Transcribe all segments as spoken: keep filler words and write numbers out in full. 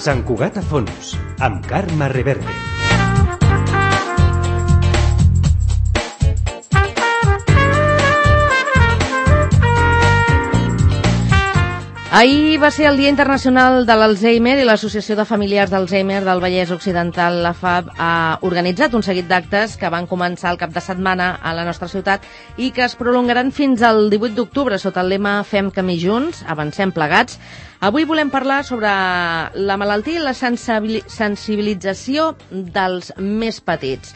Sant Cugat a fons, amb Carme Reverte. Ahir va ser el Dia Internacional de l'Alzheimer i l'Associació de Familiars d'Alzheimer del Vallès Occidental, la F A B, ha organitzat un seguit d'actes que van començar el cap de setmana a la nostra ciutat i que es prolongaran fins al divuit d'octubre sota el lema Fem camí junts, avancem plegats. Avui volem parlar sobre la malaltia i la sensibilització dels més petits.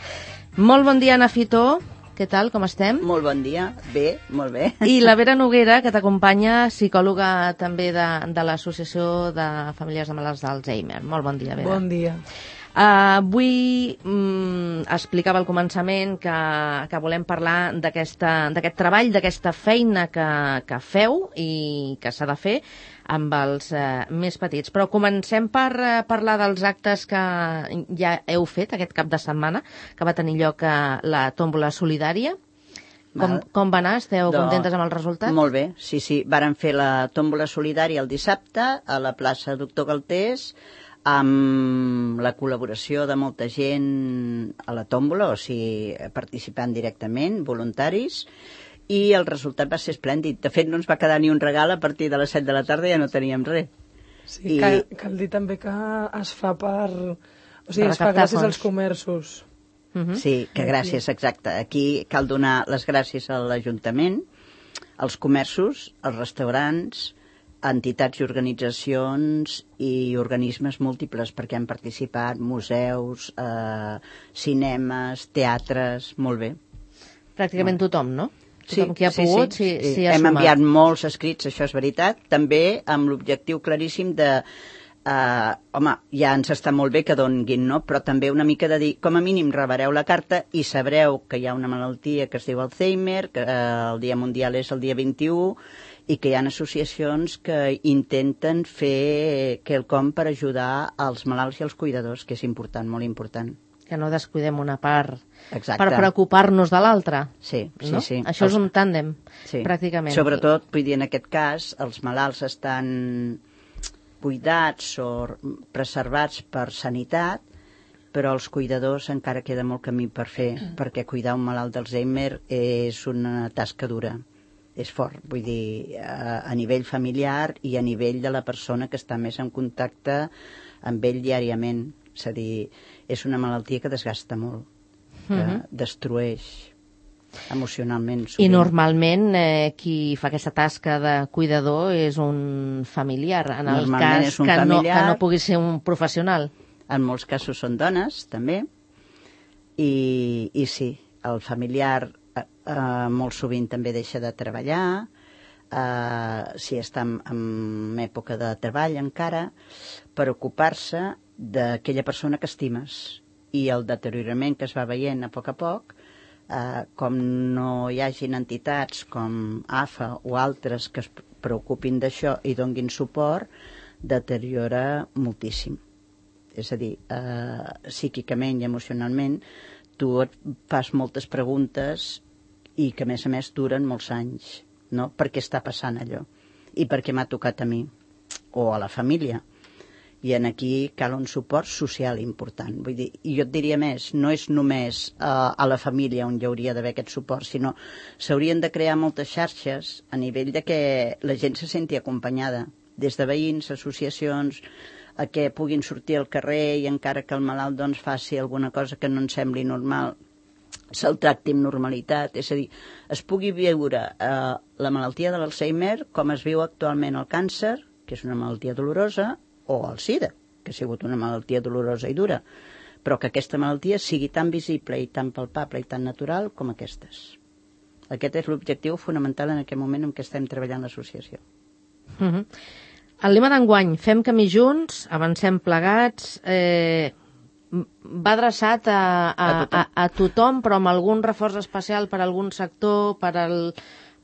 Molt bon dia, Ana Fitó. Què tal, com estem? Molt bon dia, bé, molt bé. I la Vera Noguera, que t'acompanya, psicòloga també de, de l'Associació de Famílies de Malalts d'Alzheimer. Molt bon dia, Vera. Bon dia. Uh, avui mm, explicava al començament que, que volem parlar d'aquest treball, d'aquesta feina que, que feu i que s'ha de fer amb els uh, més petits. Però comencem per uh, parlar dels actes que ja heu fet aquest cap de setmana, que va tenir lloc a la tòmbola solidària. Com, com va anar? Esteu Do, contentes amb el resultat? Molt bé, sí, sí. Varen fer la tòmbola solidària el dissabte a la plaça Doctor Galtés, amb la col·laboració de molta gent a la tòmbola, o sigui, participant directament, voluntaris, i el resultat va ser esplèndid. De fet, no ens va quedar ni un regal, a partir de les set de la tarda ja no teníem res. Sí, I... cal, cal dir també que es fa per... O sigui, es fa gràcies als comerços. Uh-huh. Sí, que gràcies, exacte. Aquí cal donar les gràcies a l'Ajuntament, als comerços, als restaurants, entitats i organitzacions i organismes múltiples, perquè han participat museus, eh, cinemes, teatres, molt bé. Pràcticament molt. Tothom, no? Sí, tothom qui ha sí, pogut, sí, sí, sí. sí ha Hem sumat. enviat molts escrits, això és veritat, també amb l'objectiu claríssim de... Eh, home, ja ens està molt bé que donguin, no? Però també una mica de dir, com a mínim rebreu la carta i sabreu que hi ha una malaltia que es diu Alzheimer, que eh, el Dia Mundial és el dia vint-i-u, i que hi ha associacions que intenten fer quelcom per ajudar als malalts i als cuidadors, que és important, molt important. Que no descuidem una part. Exacte. Per preocupar-nos de l'altra. Sí, sí, no? sí. Això els... és un tàndem, sí. Pràcticament. Sobretot, vull dir, en aquest cas, els malalts estan cuidats o preservats per sanitat, però els cuidadors encara queda molt camí per fer, perquè cuidar un malalt d'Alzheimer és una tasca dura. És fort, vull dir, a, a nivell familiar i a nivell de la persona que està més en contacte amb ell diàriament. És a dir, és una malaltia que desgasta molt, que uh-huh. destrueix emocionalment. Sovint. I normalment eh, qui fa aquesta tasca de cuidador és un familiar, en el cas que no, que no pugui ser un professional. En molts casos són dones, també, i, i sí, el familiar eh, eh, molt sovint també deixa de treballar, eh, si està en, en època de treball encara, per ocupar-se d'aquella persona que estimes, i el deteriorament que es va veient a poc a poc, eh, com no hi hagin entitats com A F A o altres que es preocupin d'això i donguin suport, deteriora moltíssim. És a dir, eh, psíquicament i emocionalment, tu et fas moltes preguntes i que a més a més duren molts anys, no? Per què està passant allò? I per què m'ha tocat a mi? O a la família? I en aquí cal un suport social important. Vull dir, i jo et diria més, no és només uh, a la família on hi hauria d'haver aquest suport, sinó s'haurien de crear moltes xarxes a nivell de que la gent se senti acompanyada, des de veïns, associacions, a que puguin sortir al carrer i encara que el malalt doncs, faci alguna cosa que no ens sembli normal, se'l tracti amb normalitat, és a dir, es pugui viure uh, la malaltia de l'Alzheimer com es viu actualment el càncer, que és una malaltia dolorosa, o el SIDA, que ha sigut una malaltia dolorosa i dura, però que aquesta malaltia sigui tan visible i tan palpable i tan natural com aquestes. Aquest és l'objectiu fonamental en aquest moment en què estem treballant l'associació. Uh-huh. El lema d'enguany, Fem camí junts, avancem plegats, eh, va adreçat a, a, a, tothom. a, a tothom, però amb algun reforç especial per a algun sector, per, al,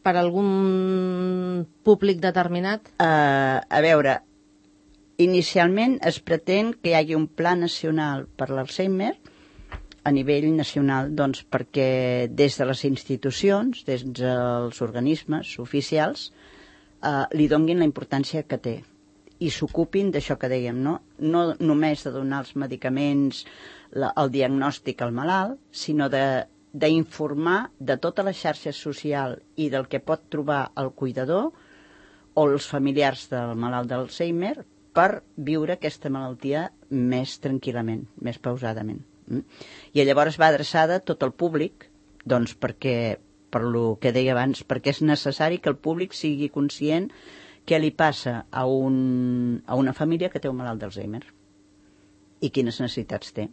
per a algun públic determinat? Uh, a veure, inicialment es pretén que hi hagi un pla nacional per l'Alzheimer a nivell nacional, doncs, perquè des de les institucions, des dels organismes oficials, eh, li donguin la importància que té i s'ocupin d'això que dèiem, no? No només de donar els medicaments, la, el diagnòstic al malalt, sinó d'informar de, de tota la xarxa social i del que pot trobar el cuidador o els familiars del malalt d'Alzheimer per viure aquesta malaltia més tranquil·lament, més pausadament. I llavors va adreçada a tot el públic, doncs perquè, per lo que deia abans, perquè és necessari que el públic sigui conscient què li passa a, un, a una família que té un malalt d'Alzheimer i quines necessitats té,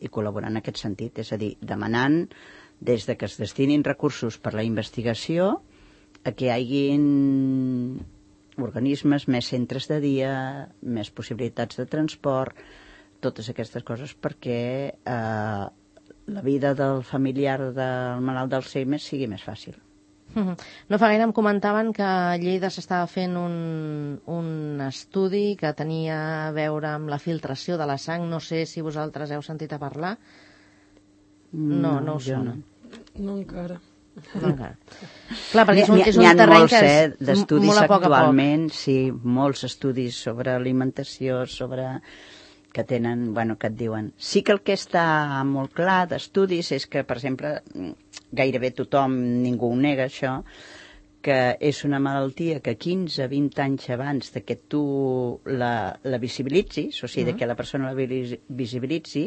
i col·laborar en aquest sentit, és a dir, demanant des de que es destinin recursos per la investigació a que hi hagin organismes, més centres de dia, més possibilitats de transport, totes aquestes coses perquè eh, la vida del familiar del malalt d'Alzheimer sigui més fàcil. No fa gaire em comentaven que a Lleida s'estava fent un, un estudi que tenia a veure amb la filtració de la sang. No sé si vosaltres heu sentit a parlar. No, no us sona. No, no encara. No encara. Clar, perquè és un, és un terreny molts, que és eh, d'estudis molt a poc a poc. actualment, sí, molts estudis sobre alimentació, sobre que tenen, bueno, que et diuen. Sí que el que està molt clar d'estudis és que, per exemple, gairebé tothom, ningú ho nega això, que és una malaltia que quinze a vint anys abans de que tu la, la visibilitzis, o sigui, uh-huh. de que la persona la visibilitzi,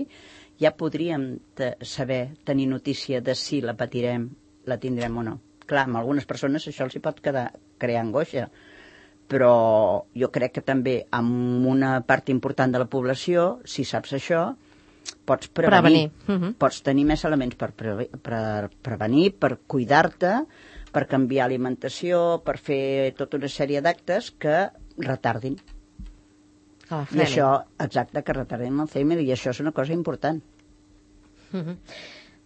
ja podríem te, saber, tenir notícia de si la patirem, la tindrem o no. Clar, amb algunes persones això els hi pot quedar, crear angoixa, però jo crec que també amb una part important de la població, si saps això, pots prevenir. prevenir. Uh-huh. Pots tenir més elements per, pre per prevenir, per cuidar-te, per canviar alimentació, per fer tota una sèrie d'actes que retardin. Ah, I això, exacte, que retardin l'Alzheimer, i això és una cosa important. Uh-huh.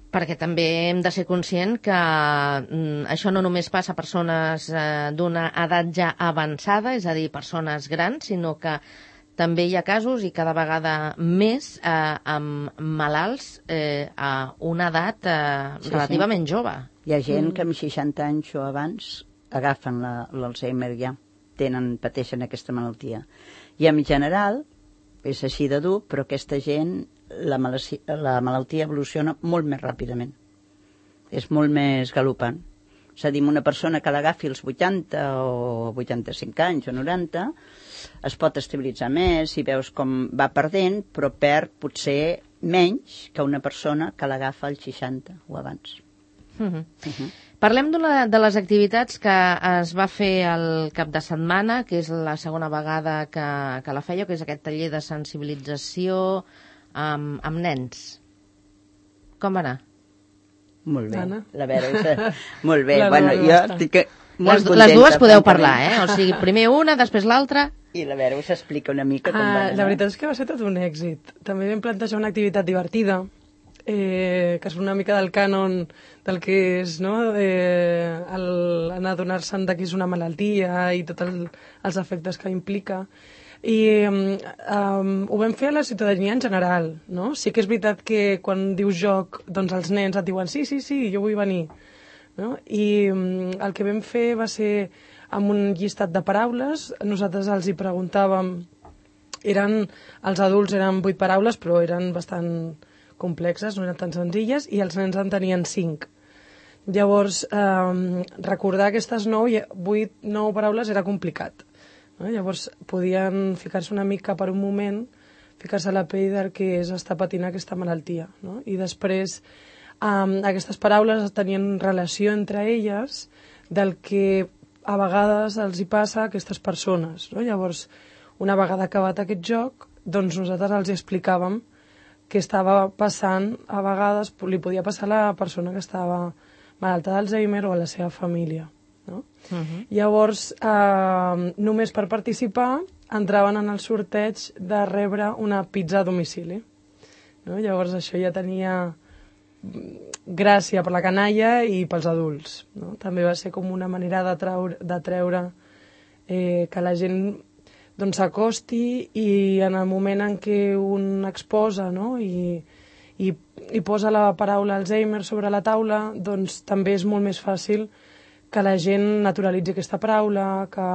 Perquè també hem de ser conscient que mm, això no només passa a persones eh, d'una edat ja avançada, és a dir, persones grans, sinó que també hi ha casos, i cada vegada més, eh, amb malalts eh, a una edat eh, sí, relativament sí. jove. Hi ha gent que amb seixanta anys o abans agafen l'Alzheimer ja, tenen, pateixen aquesta malaltia. I en general, és així de dur, però aquesta gent, la malaltia, la malaltia evoluciona molt més ràpidament. És molt més galopant. És a dir, una persona que l'agafi als vuitanta o vuitanta-cinc anys o noranta, es pot estabilitzar més i veus com va perdent, però perd potser menys que una persona que l'agafa als seixanta o abans. Uh-huh. Uh-huh. Parlem de les activitats que es va fer el cap de setmana, que és la segona vegada que, que la feia, que és aquest taller de sensibilització amb, amb nens. Com va anar? Molt bé. Anna? La Vera, és... molt bé. La bueno, jo estic molt les, contenta. Les dues podeu parlar, eh? O sigui, primer una, després l'altra. I la Vera us explica una mica com ah, va anar. La veritat és que va ser tot un èxit. També vam plantejar una activitat divertida, eh, que és una mica del cànon del que és, no?, eh, el, anar a donar-se'n de que és una malaltia i tots el, els efectes que implica. I um, um, ho vam fer a la ciutadania en general, no? Sí que és veritat que quan dius joc, doncs els nens et diuen sí, sí, sí, jo vull venir, no? I um, el que vam fer va ser amb un llistat de paraules. Nosaltres els hi preguntàvem, eren, els adults eren vuit paraules, però eren bastant complexes, no eren tan senzilles, i els nens en tenien cinc. Llavors, eh, recordar aquestes nou, vuit, nou paraules era complicat. No? Llavors, podien ficar-se una mica per un moment, ficar-se a la pell del que és estar patint aquesta malaltia. No? I després, eh, aquestes paraules tenien relació entre elles del que a vegades els hi passa a aquestes persones. No? Llavors, una vegada acabat aquest joc, doncs nosaltres els explicàvem què estava passant, a vegades li podia passar a la persona que estava malalta d'Alzheimer o a la seva família. No? Uh-huh. Llavors, eh, només per participar, entraven en el sorteig de rebre una pizza a domicili. No? Llavors, això ja tenia gràcia per la canalla i pels adults. No? També va ser com una manera de treure, de treure eh, que la gent doncs s'acosti, i en el moment en què un exposa, no?, i, i, i posa la paraula Alzheimer sobre la taula, doncs també és molt més fàcil que la gent naturalitzi aquesta paraula, que,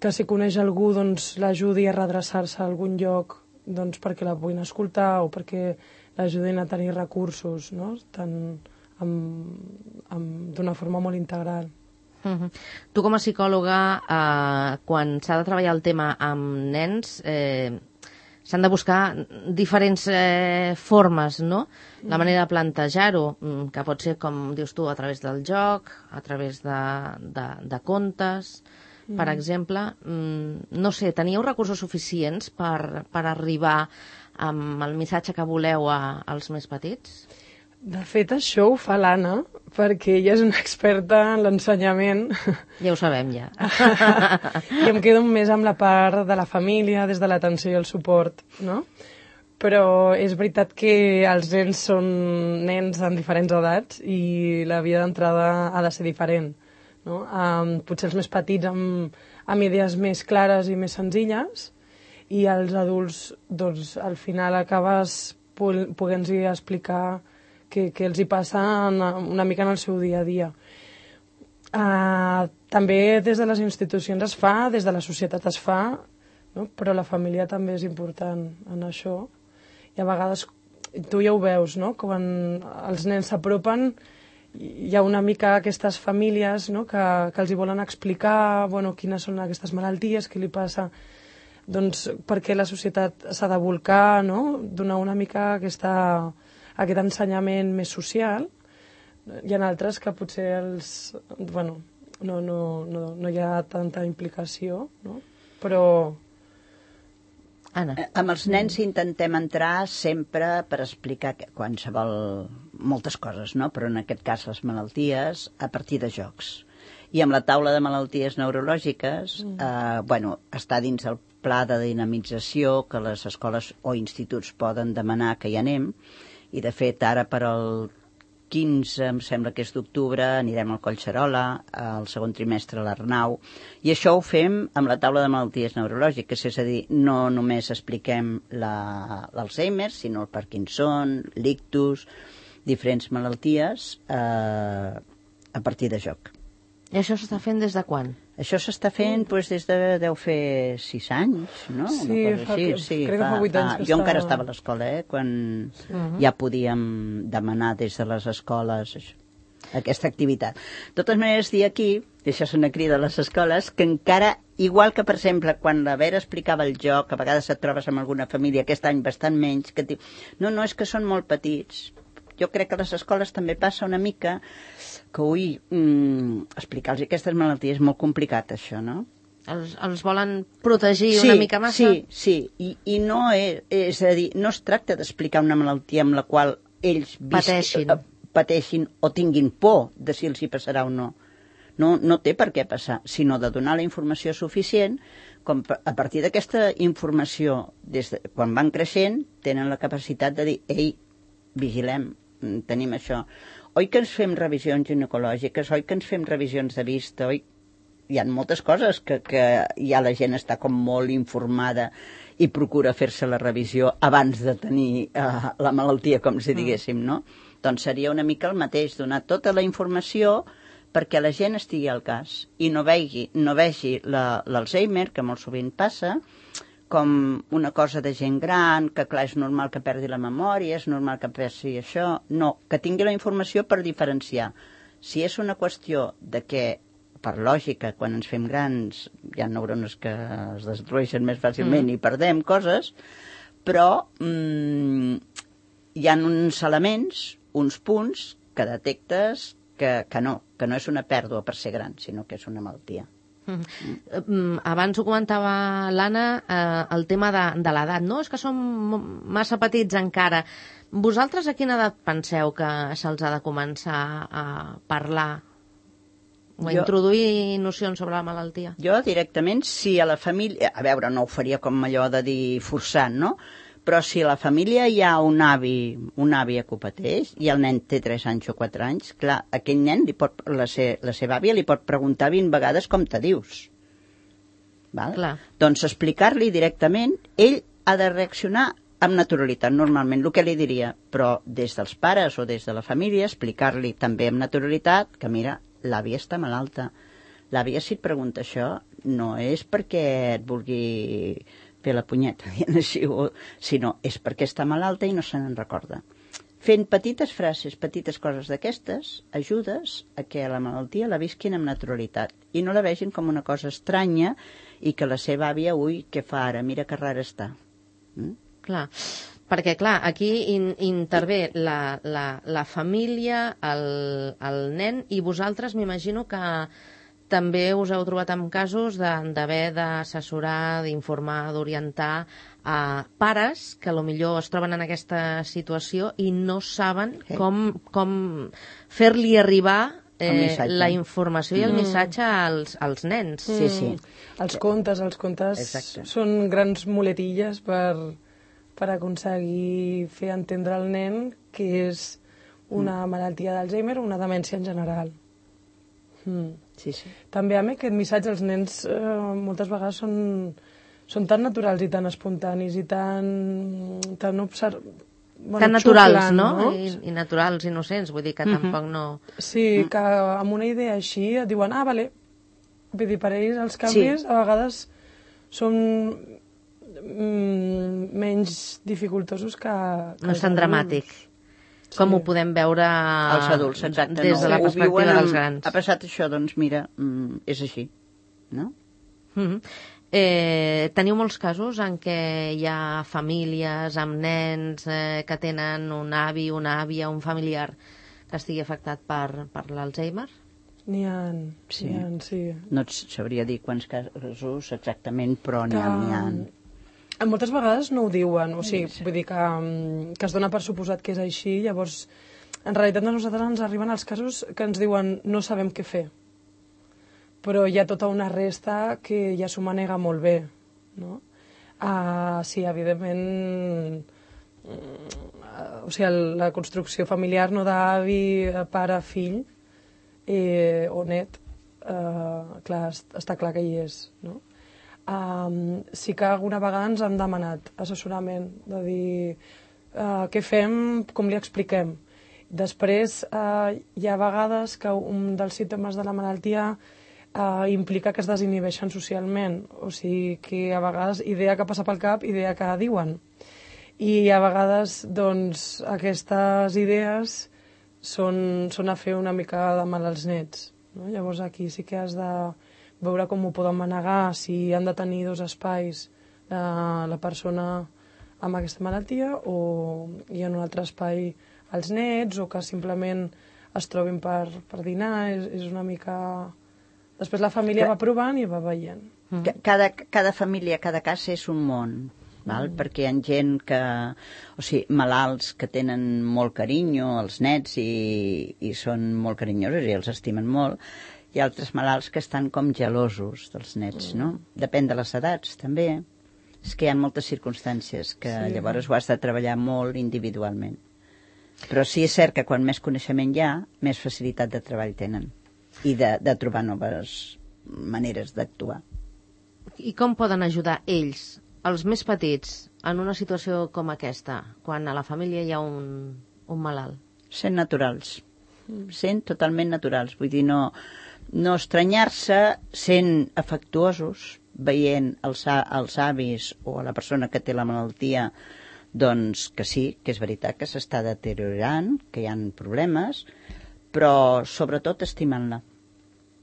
que si coneix algú doncs, l'ajudi a redreçar-se a algun lloc doncs, perquè la puguin escoltar o perquè l'ajudin a tenir recursos, no? Tant d'una forma molt integral. Uh-huh. Tu com a psicòloga, eh, quan s'ha de treballar el tema amb nens, eh, s'han de buscar diferents eh, formes, no? La manera de plantejar-ho, que pot ser, com dius tu, a través del joc, a través de, de, de contes, mm. per exemple. No sé, teníeu recursos suficients per, per arribar amb el missatge que voleu a, als més petits? De fet, això ho fa l'Anna, perquè ella és una experta en l'ensenyament. Ja ho sabem, ja. I em quedo més amb la part de la família, des de l'atenció i el suport, no? Però és veritat que els nens són nens en diferents edats i la via d'entrada ha de ser diferent, no? Um, potser els més petits amb, amb idees més clares i més senzilles, i els adults, doncs, al final acabes podent-hi explicar que, que els hi passa una, una mica en el seu dia a dia. Uh, també des de les institucions es fa, des de la societat es fa, no? Però la família també és important en això. I a vegades, tu ja ho veus, no? Quan els nens s'apropen, hi ha una mica aquestes famílies, no? que, que els hi volen explicar, bueno, quines són aquestes malalties, què li passa, doncs perquè la societat s'ha de volcar, no? Donar una mica aquesta, aquest ensenyament més social. Hi ha altres que potser els, bueno, no, no, no, no hi ha tanta implicació, no? Però... Anna. Amb els nens intentem entrar sempre per explicar qualsevol, moltes coses, no? Però en aquest cas les malalties a partir de jocs. I amb la taula de malalties neurològiques, mm. eh, bueno, està dins el pla de dinamització que les escoles o instituts poden demanar que hi anem, i de fet ara per al quinze, em sembla que és d'octubre, anirem al Collserola, al segon trimestre a l'Arnau, i això ho fem amb la taula de malalties neurològiques, és a dir, no només expliquem l'Alzheimer, sinó el Parkinson, l'ictus, diferents malalties eh, a partir de joc. I això s'està fent des de quan? Això s'està fent doncs, des de, deu fer sis anys, no? Sí, fa, així, que, sí crec fa, que fa vuit anys. Fa, jo estava... encara estava a l'escola, eh? Quan uh-huh. ja podíem demanar des de les escoles això, aquesta activitat. De totes maneres, dir aquí, i això és una crida a les escoles, que encara, igual que, per exemple, quan la Vera explicava el joc, a vegades et trobes amb alguna família, aquest any bastant menys, que et diu, no, no, és que són molt petits. Jo crec que a les escoles també passa una mica que, ui, mm, explicar-los aquestes malalties és molt complicat, això, no? Els, els volen protegir sí, una mica massa? Sí, sí, i, i no és, és a dir, no es tracta d'explicar una malaltia amb la qual ells pateixin. Vis, pateixin o tinguin por de si els hi passarà o no. No, no té per què passar, sinó de donar la informació suficient com a partir d'aquesta informació, des de, quan van creixent, tenen la capacitat de dir, ei, vigilem, tenim això. Oi que ens fem revisions ginecològiques, oi que ens fem revisions de vista, oi? Hi ha moltes coses que, que ja la gent està com molt informada i procura fer-se la revisió abans de tenir uh, la malaltia, com si diguéssim, no? Doncs seria una mica el mateix, donar tota la informació perquè la gent estigui al cas i no vegi, no vegi l'Alzheimer, que molt sovint passa, com una cosa de gent gran, que clar, és normal que perdi la memòria, és normal que perdi això. No, que tingui la informació per diferenciar. Si és una qüestió de que, per lògica, quan ens fem grans, hi ha neurones que es destrueixen més fàcilment mm. i perdem coses, però mm, hi ha uns elements, uns punts, que detectes que, que no, que no és una pèrdua per ser gran, sinó que és una malaltia. Mm. Abans ho comentava l'Anna, eh, el tema de, de l'edat, no? És que som massa petits encara. Vosaltres a quina edat penseu que se'ls ha de començar a parlar o a jo, introduir nocions sobre la malaltia? Jo directament, si a la família... A veure, no ho faria com allò de dir forçant, no? Però si a la família hi ha un avi, un avi que ho pateix, i el nen té tres anys o quatre anys, clar, aquell nen, li pot, la, se, la seva àvia li pot preguntar vint vegades com te dius. Val? Clar. Doncs explicar-li directament, ell ha de reaccionar amb naturalitat, normalment, el que li diria, però des dels pares o des de la família, explicar-li també amb naturalitat que, mira, l'àvia està malalta. L'àvia, si et pregunta això, no és perquè et vulgui fer la punyeta, sinó és perquè està malalta i no se n'en recorda. Fent petites frases, petites coses d'aquestes, ajudes a que la malaltia la visquin amb naturalitat i no la vegin com una cosa estranya i que la seva àvia, ui, què fa ara? Mira que rara està. Mm? Clar, perquè clar, aquí in, intervé la, la, la família, el, el nen, i vosaltres m'imagino que també us heu trobat en casos d'haver d'assessorar, d'informar, d'orientar a pares que potser es troben en aquesta situació i no saben sí. com, com fer-li arribar eh, la informació i el mm. missatge als, als nens. Mm. Sí, sí. Els contes, els contes Exacte. Són grans muletilles per, per aconseguir fer entendre al nen que és una mm. malaltia d'Alzheimer o una demència en general. Mm. Sí, sí. També a mi aquest missatge als nens eh, moltes vegades són, són tan naturals i tan espontanis i tan, tan observ... Bueno, tan naturals, xuclant, no? no? I, I naturals, innocents, vull dir que Mm-hmm. tampoc no... Sí, que amb una idea així et diuen, ah, vale. Vull dir, per ells els canvis Sí. a vegades són mm, menys dificultosos que... que No és tan els dramàtic. adults. Com Sí. ho podem veure Els adults, exacte. des no, de la ho perspectiva viuen dels amb- grans. Ha passat això, doncs mira, mm, és així, no? Mm-hmm. eh, teniu molts casos en què hi ha famílies amb nens eh, que tenen un avi, una àvia, un familiar que estigui afectat per, per l'Alzheimer? N'hi ha, Sí. n'hi ha, sí. No et sabria dir quants casos exactament, però n'hi ha, n'hi ha. Moltes vegades no ho diuen, o sigui, vull dir que, mm, que es dona per suposat que és així, llavors, en realitat a nosaltres ens arriben els casos que ens diuen no sabem què fer, però hi ha tota una resta que ja s'ho manega molt bé, no? Uh, sí, evidentment, mm, o sigui, la construcció familiar no d'avi, pare, fill eh, o net, uh, clar, està clar que hi és, no? Um, sí que alguna vegada ens han demanat assessorament, de dir uh, què fem, com li expliquem. Després uh, hi ha vegades que un dels símptomes de la malaltia uh, implica que es desinhibeixen socialment, o sigui que a vegades idea que passa pel cap, idea que diuen. I a vegades doncs, aquestes idees són, són a fer una mica de mal als nets, no? Llavors aquí sí que has de veure com ho poden manegar, si han de tenir dos espais eh, la persona amb aquesta malaltia o hi ha un altre espai als nets o que simplement es trobin per, per dinar, és, és una mica... Després la família va provant i va veient. Cada, cada família, cada cas és un món, val? Mm. Perquè hi ha gent que... O sigui, malalts que tenen molt carinyo, els nets, i, i són molt carinyosos i els estimen molt. Hi ha altres malalts que estan com gelosos dels nets, no? Depèn de les edats, també. És que hi ha moltes circumstàncies que sí. Llavors ho has de treballar molt individualment. Però sí és cert que quan més coneixement hi ha, més facilitat de treball tenen i de, de trobar noves maneres d'actuar. I com poden ajudar ells, els més petits, en una situació com aquesta, quan a la família hi ha un, un malalt? Sent naturals. Sent totalment naturals. Vull dir, no... no estranyar-se, sent afectuosos, veient els, els avis o la persona que té la malaltia, doncs que sí, que és veritat que s'està deteriorant, que hi ha problemes, però sobretot estimant-la,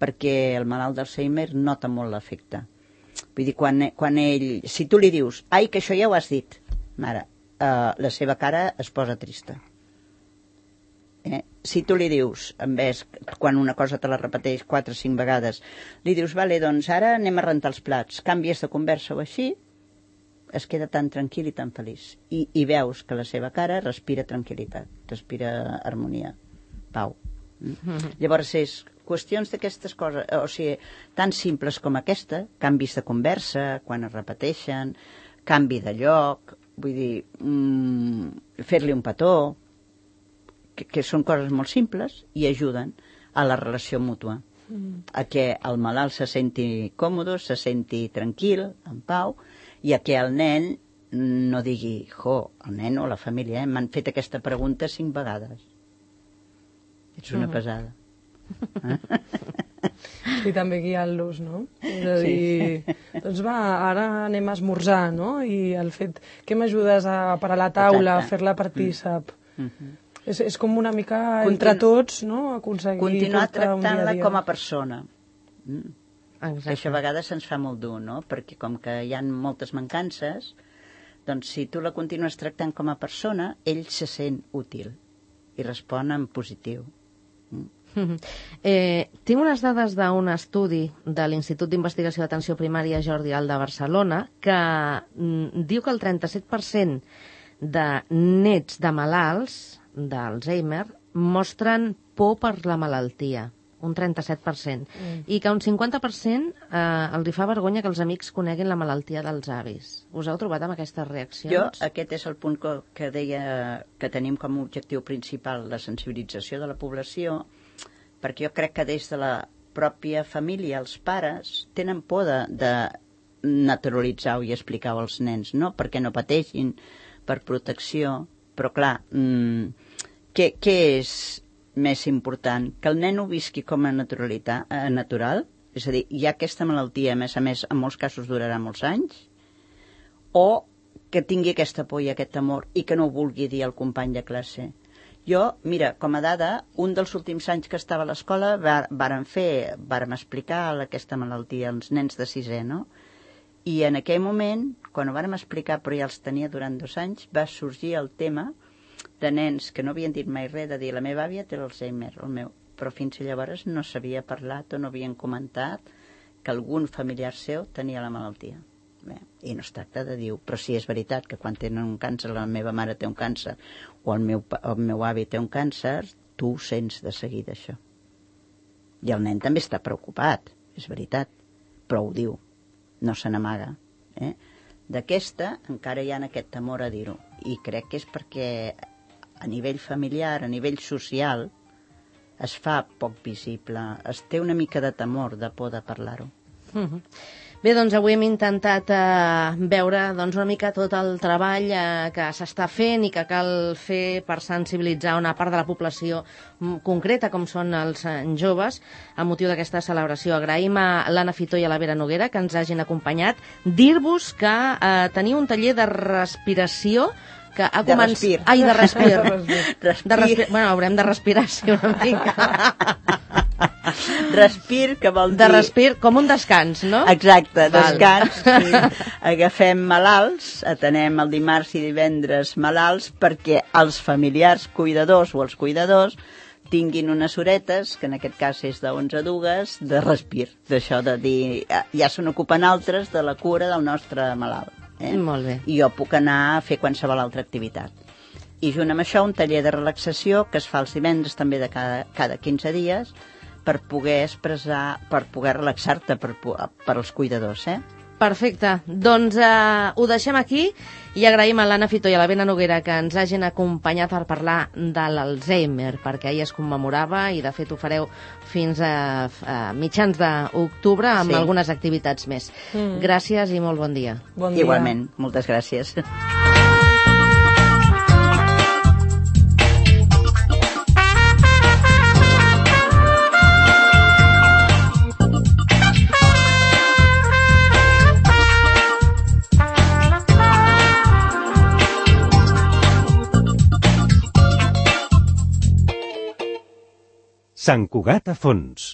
perquè el malalt d'Alzheimer nota molt l'efecte. Vull dir, quan, quan ell... Si tu li dius, ai, que això ja ho has dit, mare, eh, la seva cara es posa trista. Eh? Si tu li dius, en vez, quan una cosa te la repeteix quatre o cinc vegades, li dius, vale, doncs ara anem a rentar els plats, canvies de conversa o així, es queda tan tranquil i tan feliç. I, i veus que la seva cara respira tranquil·litat, respira harmonia, pau. Mm? Llavors és qüestions d'aquestes coses, o sigui, tan simples com aquesta, canvis de conversa, quan es repeteixen, canvi de lloc, vull dir, mm, fer-li un petó, que, que són coses molt simples i ajuden a la relació mútua, mm. a que el malalt se senti còmode, se senti tranquil, en pau, i a que el nen no digui, jo, el nen o la família, eh, m'han fet aquesta pregunta cinc vegades. Ets una pesada. I també guiant-los, no? És a dir, sí. Doncs va, ara anem a esmorzar, no? I el fet, què m'ajudes a parar la taula, a fer-la partícip? Mm. Mm-hmm. És, és com una mica Continu... entre tots, no? Aconseguir continuar tractant-la com a persona. Mm. Això a vegades se'ns fa molt dur, no? Perquè com que hi ha moltes mancances, doncs si tu la continues tractant com a persona, ell se sent útil i respon en positiu. Mm. Eh, tinc unes dades d'un estudi de l'Institut d'Investigació d'Atenció Primària Jordi Alda de Barcelona que mm, diu que el trenta-set per cent de nets de malalts d'Alzheimer mostren por per la malaltia, un trenta-set per cent, mm. i que un cinquanta per cent eh, els hi fa vergonya que els amics coneguin la malaltia dels avis. Us heu trobat amb aquestes reaccions? Jo, aquest és el punt que, que deia que tenim com a objectiu principal la sensibilització de la població, perquè jo crec que des de la pròpia família els pares tenen por de, de naturalitzar-ho i explicar-ho als nens, no? Perquè no pateixin, per protecció, però clar, mmm, què, què és més important? Que el nen ho visqui com a naturalitat, eh, natural? És a dir, hi ha aquesta malaltia, a més a més, en molts casos durarà molts anys? O que tingui aquesta por i aquest temor i que no ho vulgui dir al company de classe? Jo, mira, com a dada, un dels últims anys que estava a l'escola vàrem fer, vàrem explicar aquesta malaltia als nens de sisè, no? I en aquell moment, quan ho vàrem explicar, però ja els tenia durant dos anys, va sorgir el tema de nens que no havien dit mai res, de dir la meva àvia té l'Alzheimer, el meu, però fins llavors no s'havia parlat o no havien comentat que algun familiar seu tenia la malaltia. Bé, i no es tracta de dir, però sí és veritat que quan tenen un càncer, la meva mare té un càncer o el meu, el meu avi té un càncer, tu ho sents de seguida això. I el nen també està preocupat, és veritat, però ho diu, no se n'amaga. Eh? D'aquesta encara hi ha aquest temor a dir-ho, i crec que és perquè a nivell familiar, a nivell social, es fa poc visible, es té una mica de temor, de por de parlar-ho. Mm-hmm. Bé, doncs avui hem intentat eh, veure doncs, una mica tot el treball eh, que s'està fent i que cal fer per sensibilitzar una part de la població concreta, com són els eh, joves, a motiu d'aquesta celebració. Agraïm a l'Anna Fitó i a la Vera Noguera que ens hagin acompanyat. Dir-vos que eh, teniu un taller de respiració que ha de començat... respir. Ai, de respir. de respir. De respir. Bueno, haurem de respirar, sí, una mica. Respir, que vol dir... De respir, com un descans, no? Exacte, descans. Agafem malalts, atenem el dimarts i divendres malalts perquè els familiars cuidadors o els cuidadors tinguin unes horetes, que en aquest cas és d'onze a dues, de respir. D'això de dir, ja se n'ocupen altres de la cura del nostre malalt. Eh? Molt bé. I jo puc anar a fer qualsevol altra activitat. I junt amb això un taller de relaxació que es fa els divendres també de cada, cada quinze dies per poder expressar, per poder relaxar-te per, per als cuidadors, eh? Perfecte. Doncs eh, ho deixem aquí i agraïm a l'Anna Fitó i a la Vera Noguera que ens hagin acompanyat per parlar de l'Alzheimer, perquè ahir es commemorava i de fet ho fareu fins a, a mitjans d'octubre amb sí. algunes activitats més. Mm. Gràcies i molt bon dia. Bon dia. Igualment, moltes gràcies. Sant Cugat a fons.